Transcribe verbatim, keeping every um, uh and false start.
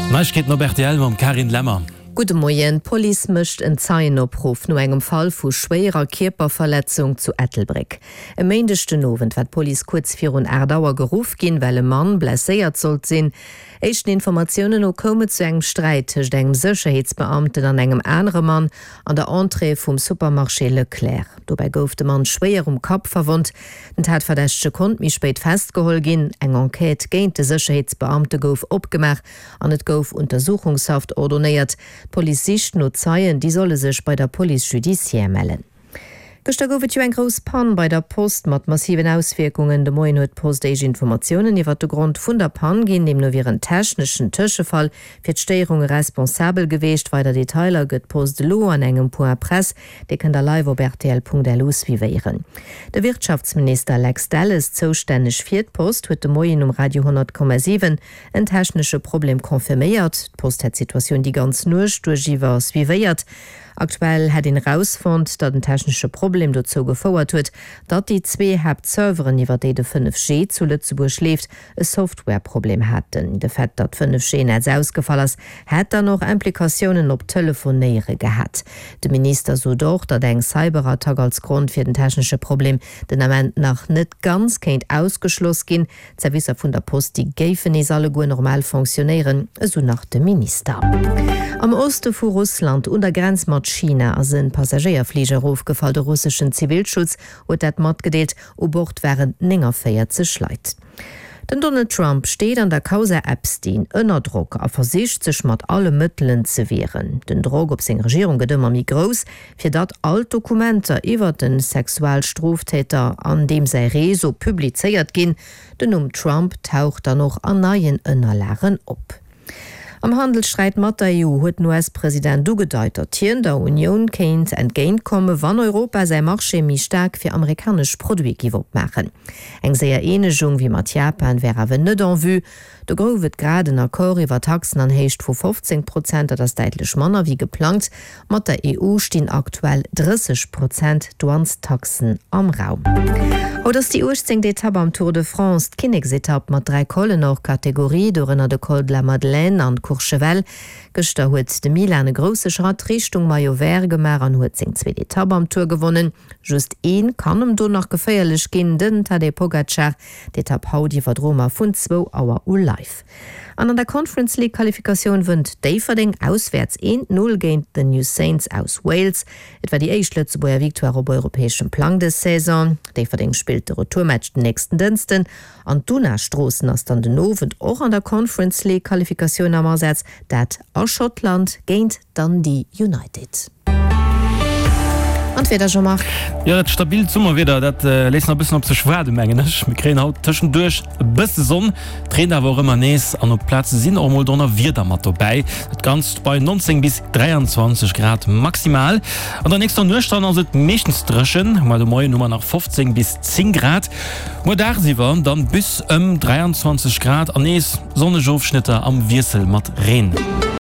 Neiegkeeten op rtl mam Carine Lemmer. Gudde Moien, D'Police mécht en Zeienopruff no engem Fall vu schwéierer Kierperverletzung zu Ettelbréck. E Méindeg den Owend war d'Police kuerz virun aacht Auer geruff ginn, well e Mann blesséiert sollt sinn. Éischten Informatiounen no koum et zu engem Sträit tëscht engem Sécherheetsbeamten an engem anere Mann an der Entrée vum Supermarché Leclerc. Dobäi gouf de Mann schwéier um Kapp verwonnt. Den Tatverdächtege konnt méi spéit festgeholl ginn. Eng Enquête géint de Sécherheetsbeamte gouf opgemaach an et gouf Untersuchungshaft ordonéiert. D'Police sicht no Zeien, déi solle sech bei der Police judiciaire mellen. Gëschter gouf et jo eng grouss Pann bei der Post mat massiven Auswierkungen. De Moien huet d'Post éischt Informatiounen iwwert de Grond vun der Pann ginn. Deemno wier en techneschen Tëschefall fir d'Stéierunge responsabel geweecht. Weider Detailer gëtt d'Post elo an engem Point Presse, dee kënnt der live op rtl.lu suivéieren. De Wirtschaftsminister Lex Delles, zoustänneg fir d'Post, huet de Moien um Radio honnert Komma siwen en technesche Problem confirméiert. D'Post hätt d'Situatioun déi ganz Nuecht duerchiwwer suivéiert. Aktuell hätt een erausfonnt, datt en technesche Problem dozou gefouert huet, datt déi zwee Haaptserveren, iwwer déi de fënnef G zu Lëtzebuerg leeft, e Softwareproblem haten. De Fait, datt d'fënnef G-Netz ausgefall ass, hätt dann och Implikatiounen op d'Telefonéiere gehat. De Minister sot och, datt eng Cyberattack als Grond fir den technesche Problem den Ament nach net ganz kéint ausgeschloss ginn. D'Servicer vun der Post, déi géifen nees alleguer normal fonctionnéieren, esou nach de Minister. Am Oste vu Russland, un der Grenz mat China, ass e Passagéierfliger erofgefall. De russeschen Zivilschutz huet dat matgedeelt. U Bord waren néngavéierzeg Leit. Den Donald Trump steet an der Causa Epstein ënner Drock a versicht sech mat alle Mëttelen ze wieren. Den Drock op seng Regierung gëtt ëmmer méi grouss, fir datt all d'Dokumenter iwwer de Sexualstroftäter an deem säi Réseau publizéiert ginn. Den Numm Trump taucht dann och an neien Ënnerlagen op. Am Handelssträit mat der E U huet den U S-President ugedeit, datt hien der Unioun kéint entgéint kommen, wann Europa säi Marché méi staark fir amerikanesch Produite giff opmaachen. Eng séier Eenegung wéi mat Japan wär awer net en vue. Do gouf et grad en Accord iwwer Taxen an Héicht vu fofzéng Prozent, dat ass däitlech manner wéi geplangt. Mat der E U stinn aktuell drësseg Prozent Douanestaxen am Raum. Haut ass déi uechtzéngt Etapp am Tour de France, d'Kinneksetapp mat dräi Collen hors catégorie, dorënner de Col de la Madeleine an d'Courchevel. Gëschter huet de Milan e grousse Schratt Richtung Maillot Vert gemaach an huet seng zweet Etapp am Tour gewonnen. Just een kann em do nach geféierlech ginn, den Tadej Pogacar. D'Etapp haut iwwerdroe mer vun zwou Auer u live. An an der Conference League Qualifikatioun wënnt Déifferdeng auswäerts eent Null géint The New Saints aus Wales. Et war déi éischt Lëtzebuerger Victoire op europäeschem Plang dës Saison. Déifferdeng spillt de Retourmatch den nächsten Dënschden an d'Una Stroossen ass dann den Owend och an der Conference League Qualifikatioun am Asaz, dat a Schottland géint Dundee United. An d'Wieder, Jean-Marc? Jo, dat stabilt Summerwieder, dat léisst nach e bëssen op sech waarden, mengen ech. Mir kréien haut tëschenduerch e bësse Sonn, et reent awer och ëmmer nees an op Plaze sinn och mol Donnerwieder mat dobäi. Dat Ganzt bei neunzéng bis dräianzwanzeg Grad maximal. An der nächster Nuecht dann ass et meeschtens dréchen, ma de Moien hu mer nach fofzéng bis zéng Grad. Muer dagsiwwer dann bis ëm dräianzwanzeg Grad an nees sonneg Ofschnëtter am Wiessel mat Reen.